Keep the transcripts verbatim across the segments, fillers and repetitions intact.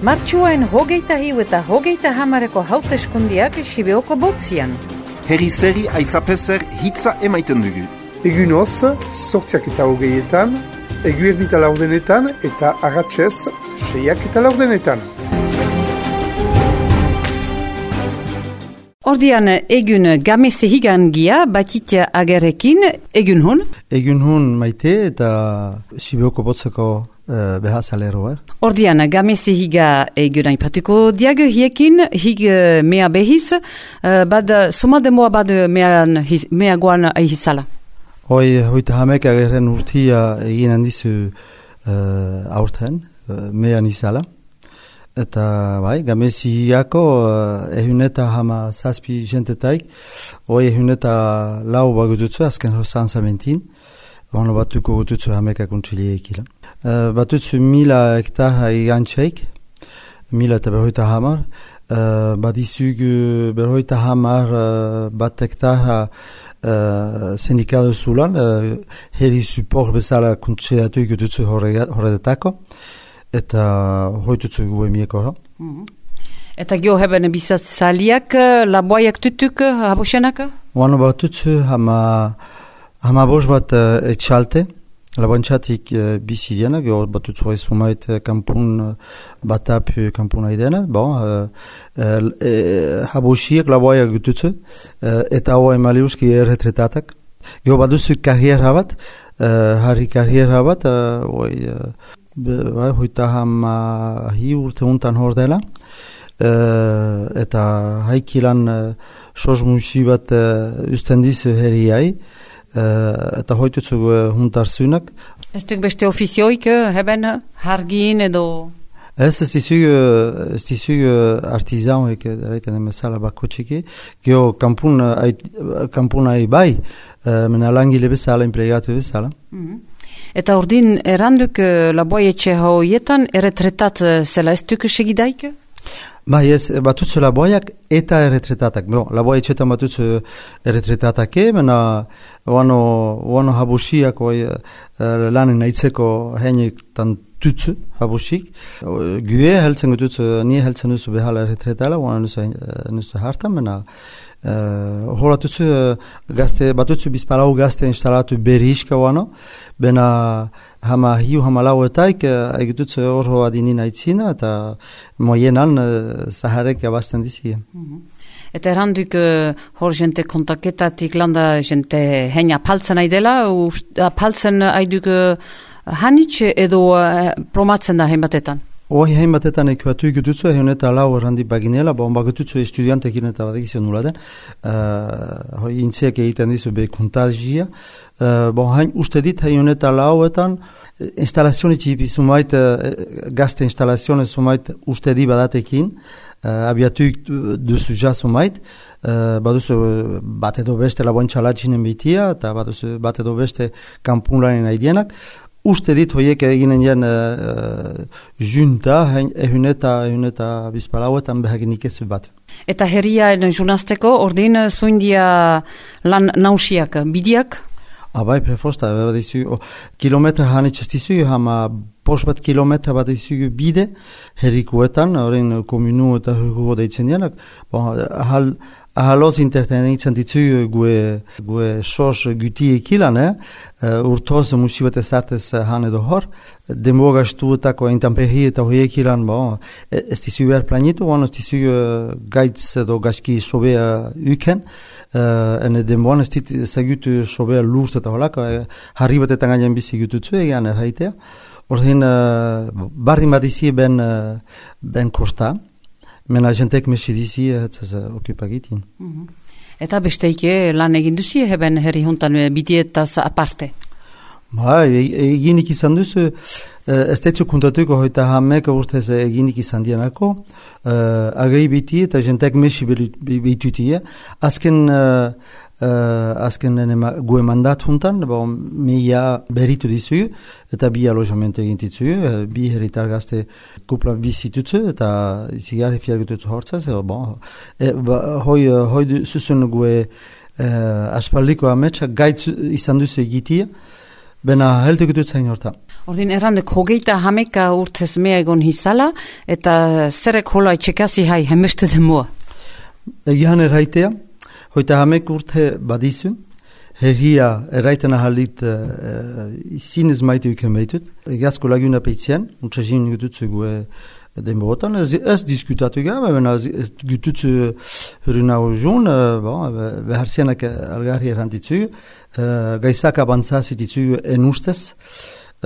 Martxuaen hogeita hiu eta hogeita hamareko hauteskundiak Sibeoko botzian. Herri zeri aizapezer hitza emaiten dugu. Egun hoz, sortziak eta hogeietan, eguerdita laurdenetan eta arratsez seiak eta laurdenetan. Ordian egun gamese higan gia batit agerekin, egun hun? Egun hun maite eta Sibeoko botzeko uh, behazaleroa. Ordian gamese higa egun aipatuko diag hiekin, hig mea behiz, uh, bad somademoa bad mean, mea guan aihizala. Hoi, hoita hamek ageren urtia egin handizu uh, aurten, uh, mean izala. Eta bai, gamesi higako uh, ehuneta hama zazpi jentetaik, hoi ehuneta lau bagututzu, azken hosan zamentin, ono batuko gututzu hamekak untxile ekila. Uh, batutzu mila hektar igantxeik, mila eta berroita hamar, uh, badizug berroita hamar uh, bat hektar uh, sindikado zulan, uh, heri support bezala kuntxeatu gututzu horretako, eta hoitutzu gu emieko. Mm-hmm. Eta gio heben bizatzaliak, laboaiak tutuk, habosenak? Oano batutzu hama, hama bos bat uh, etxalte, laboantxatik uh, bizi dena, gio batutzu hoi sumait kampun uh, batap kampun haidena, bon, uh, uh, uh, habosiak laboaiak gututzu, uh, eta hoa emaliuski erretretatak. Gio batutzu karriera bat, uh, harri karriera bat, uh, oi, uh, Bai, hoita hama hi urte untan hor dela, uh, eta haikilan uh, sosmusi bat uh, ustendiz herriai, uh, eta hoitutzu uh, huntarzunak. Ez duk beste ofizioik, heben hargin edo? Ez, ez dizug, ez dizug artizanoek, eraiten emezala bako txiki, geho kampun, kampun ahi bai, uh, mena langile bezala, impregatu bezala. Mm-hmm. Eta ordin erranduk uh, laboietxe hoietan erretretat uh, zela ez duk segidaik? Bai ez, batutzu laboiak eta erretretatak. Bon, laboietxetan batutzu erretretatake, mena oano, oano habusiak oi, uh, lanen aitzeko heinik tutsu habusik. Gue heltzen gututzu, nie heltzen duzu behala erretretala, oano nuzu, nuzu hartan, mena Uh, horatutzu uh, gazte, batutzu bizpalau gazte instalatu berriiska oano, bena hama hiu hama lau etaik uh, egitutzu horro adinin aitzina, eta moienan uh, zaharek abazten dizi. Mm-hmm. Eta erranduk uh, hor jente kontaketatik landa jente heina paltzen aidela, paltzen aiduk uh, hanitxe edo uh, promatzen da hein batetan? Hoi hain batetan ekuatu ikututzu, egin eta lau errandi baginela, bon bagututzu estudiantekin eta badekizio nula den, uh, hoi intziak egiten dizu be kontagia, uh, bon hain uste dit, egin eta lauetan, instalazioni txipi sumait, uh, gazte instalazione sumait uste di badatekin, uh, abiatu duzu ja sumait, uh, baduzu bat edo beste laboantxalatxinen bitia, eta baduzu bat edo beste kampunlanen aidienak, uste dit hoiek eginen jen uh, junta, ehun eta, ehun eta bizpalauetan behaginik ez bat. Eta herriaen junazteko ordin zuindia lan nausiak, bidiak? Abai, prefosta, badizu, oh, kilometra hanitz ez dizu, hama pos bat kilometra bat dizu bide, herrikuetan, horrein komunu eta hurgo deitzen janak, bon, ahal, ahaloz intertenitzen ditu gue, gue sos guti ekilan, eh? Uh, urtoz musibet ezartez han edo hor, demogastu etako intamperri eta hoi ekilan, bon, ez dizu behar planitu, bon, ez dizu uh, gaitz edo gaski sobea uken, uh, ene denboan ez dit zagutu sobea lurz eta holak, uh, harri batetan gainen bizi gututzu egean erraitea, ordin, uh, bardin bat izi ben, uh, ben kosta, mena jentek mesidizi ez okupagitin. Mm-hmm. Eta besteike lan egin duzi heben herri hontan bidietaz aparte? Ba, eginik izan duzu, ez tetzu kuntatuko hoita hamek urtez eginik izan dienako, uh, agei biti eta jentek mesi behitutia. Azken, uh, uh, azken gue mandat hontan, bon, mila beritu dizu, eta bi alojamente egin ditzu, uh, bi herritar gazte kupla bizitutzu, eta zigarri fiargututzu hortzaz, bon, e, ba, hoi, hoi zuzun gue uh, aspaldiko ametsa gaitz izan duzu egitia, Bena heldu dut zain horta. Ordin errandek hogeita hameka urtez mea egon hizala, eta zerek hola etxekasi hai hemeste demua? Egian erraitea, hoita hamek urte badizu, herria erraiten ahalit uh, izinez maite uken behitut. Egiazko laguna peitzean, utxazin gututzu e, denborotan, ez, ez diskutatu gara, ez, ez gututzu huruna hojun, uh, bon, beharzianak algarri errantitzu, uh, gaizak abantzazit ditzu enustez,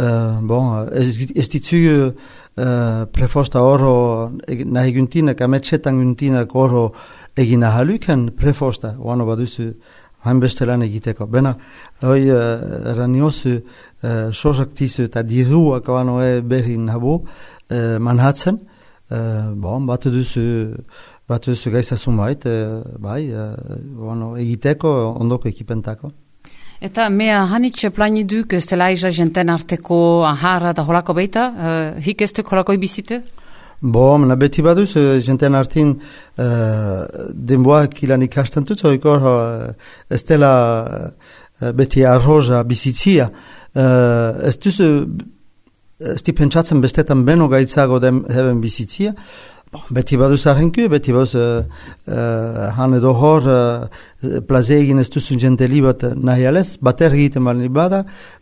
uh, bon, ez, ez ditzu uh, prefosta oro nahi guntinak, ametxetan guntinak oro egin ahaluken prefosta, oano baduzu hainbeste lan egiteko. Bena, hoi uh, raniozu uh, sozaktizu eta diruak oano e berri nabu uh, manhatzen, uh, bon, batu duzu batu duzu gaizazun bait, uh, bai, uh, oano egiteko ondoko ekipentako. Eta mea hanitxe plani duk ez dela iza jenten arteko aharra da holako beita, uh, hik ez duk holako ibizite? Bo, mena beti baduz, jenten artin uh, denboak ilan ikasten dut, oikor uh, ez dela uh, beti arroza bizitzia. Uh, ez duz, ez di pentsatzen bestetan beno gaitzago den heben bizitzia. Bon, beti baduz arrenku, beti baduz uh, uh, han edo hor uh, plaze egin ez duzun jenteli bat nahi alez, bater egiten bali bada,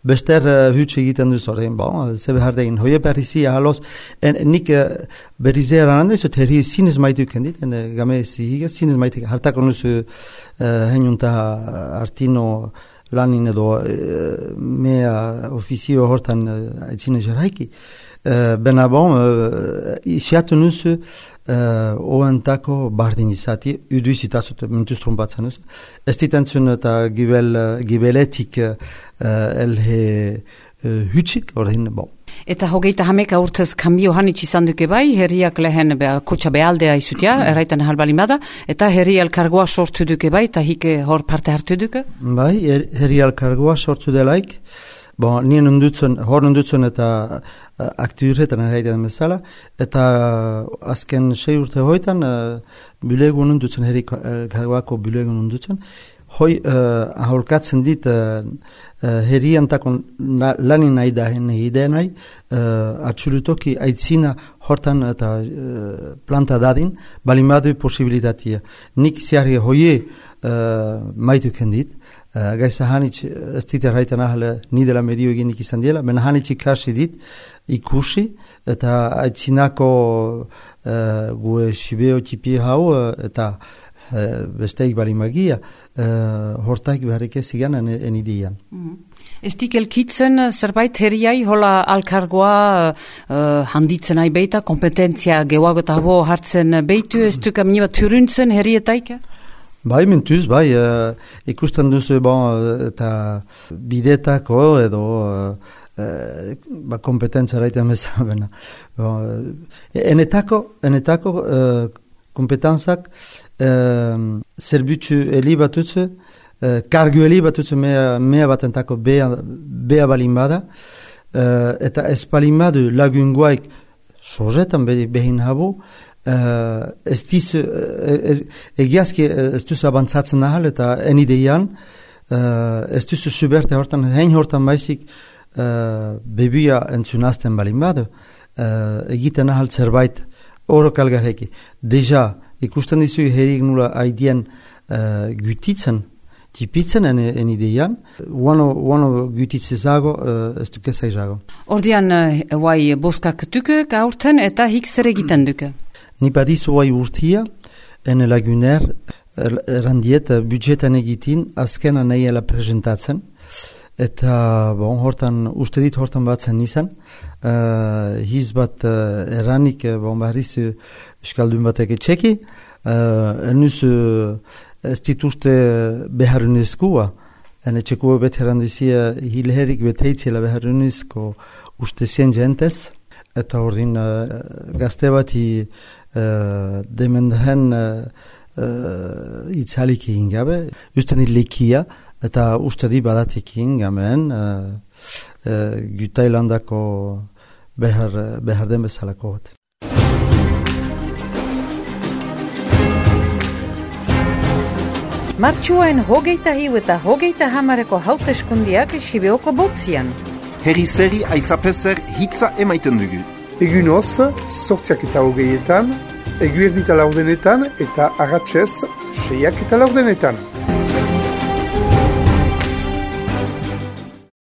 bester uh, hutsa egiten duz horrein, bon, zebe hardegin. Hoie berrizia halos, en nik uh, berrizea ranandez, ot herri zinez maitu kendit, en uh, game zihiga, zinez maitu, hartako nuzu uh, henjunta artino lanin edo uh, mea ofizio hortan uh, aitzine jaraiki. Uh, bena bon, uh, isiatu nuzu uh, oentako bardin izati, udu izitazut mentuz trompatzen nuzu. Ez ditentzun eta gibel, gibeletik uh, elhe uh, hutsik, horrein, bon. Eta hogeita hameka urtez kambio hanitz izan duke bai, herriak lehen be, kutsa behaldea izutia, mm. erraiten halbalimada, eta herri elkargoa sortu duke bai, eta hike hor parte hartu duke? Bai, her, herri elkargoa sortu delaik, bon, nien undutzen, hor undutzen eta uh, aktiurretan erraiten bezala, eta uh, azken sei urte hoitan uh, bulegun undutzen, herri elkargoako bulegun undutzen, hoi uh, aholkatzen dit uh, uh, herriantako lanin nahi da hene nahi, uh, atxurutoki aitzina hortan eta uh, planta dadin, balimadu posibilitatea. Nik ziarri hoie uh, maitu kendit, Uh, Gaiza hanitz, ez dit erraiten ahale nidela medio eginik izan diela, mena hanitz ikasi dit, ikusi, eta aitzinako uh, gue sibeo tipi hau, uh, eta uh, besteik bali magia, uh, hortaik beharrik ez igan enidean. Mm-hmm. Ez dik elkitzen zerbait herriai hola alkargoa uh, handitzen nahi beita, kompetentzia gehuagotabo hartzen beitu, ez duk aminibat turuntzen herrietaik? Bai, mentuz, bai, uh, ikusten duzu, bon, eta bidetako edo uh, uh, ba, kompetentzia raiten bezala. Bon, enetako, enetako uh, kompetentzak uh, zerbitzu heli batutzu, uh, kargu heli batutzu mea, mea batentako bea, bea balin bada, uh, eta ez balin badu lagunguaik sozetan behin habu, Uh, ez dizu, uh, egiazki ez duzu abantzatzen ahal eta enideian, uh, ez duzu suberte hortan, hein hortan baizik uh, bebuia entzunazten balin badu, uh, egiten ahal zerbait horok algarreki. Deja, ikusten dizu herrik nula haidien uh, gutitzen, tipitzen enideian, uano, uano gutitzezago, uh, ez dukezai zago. Ordian, uh, guai boskak duke gaurten eta hik zer egiten duke? Ni badizu guai urtia, ene laguner, errandiet, budgetan egitin, azkena nahiela presentatzen, eta bon, hortan, uste dit hortan batzen nizan, uh, hiz bat uh, erranik, bon, barriz, euskaldun batek etxeki, uh, enuz uh, ez dituzte beharunezkoa, ene txekua bet herrandizia hilherik beteitzela beharunezko uste zien jentez, eta ordin uh, gazte bati uh, demendren uh, uh, itzalik egin gabe, uste nit lekia, eta uste di badatik egin gamen uh, uh, Gutailandako behar, behar den bezalako bat. Martxuain hogeita hiu eta hogeita hamareko hauteskundiak Sibeoko botzian. Herri zeri aizapezer hitza emaiten dugu. Egunoz, sortziak eta hogeietan, eguerdita laurdenetan eta arratsez seiak eta laurdenetan.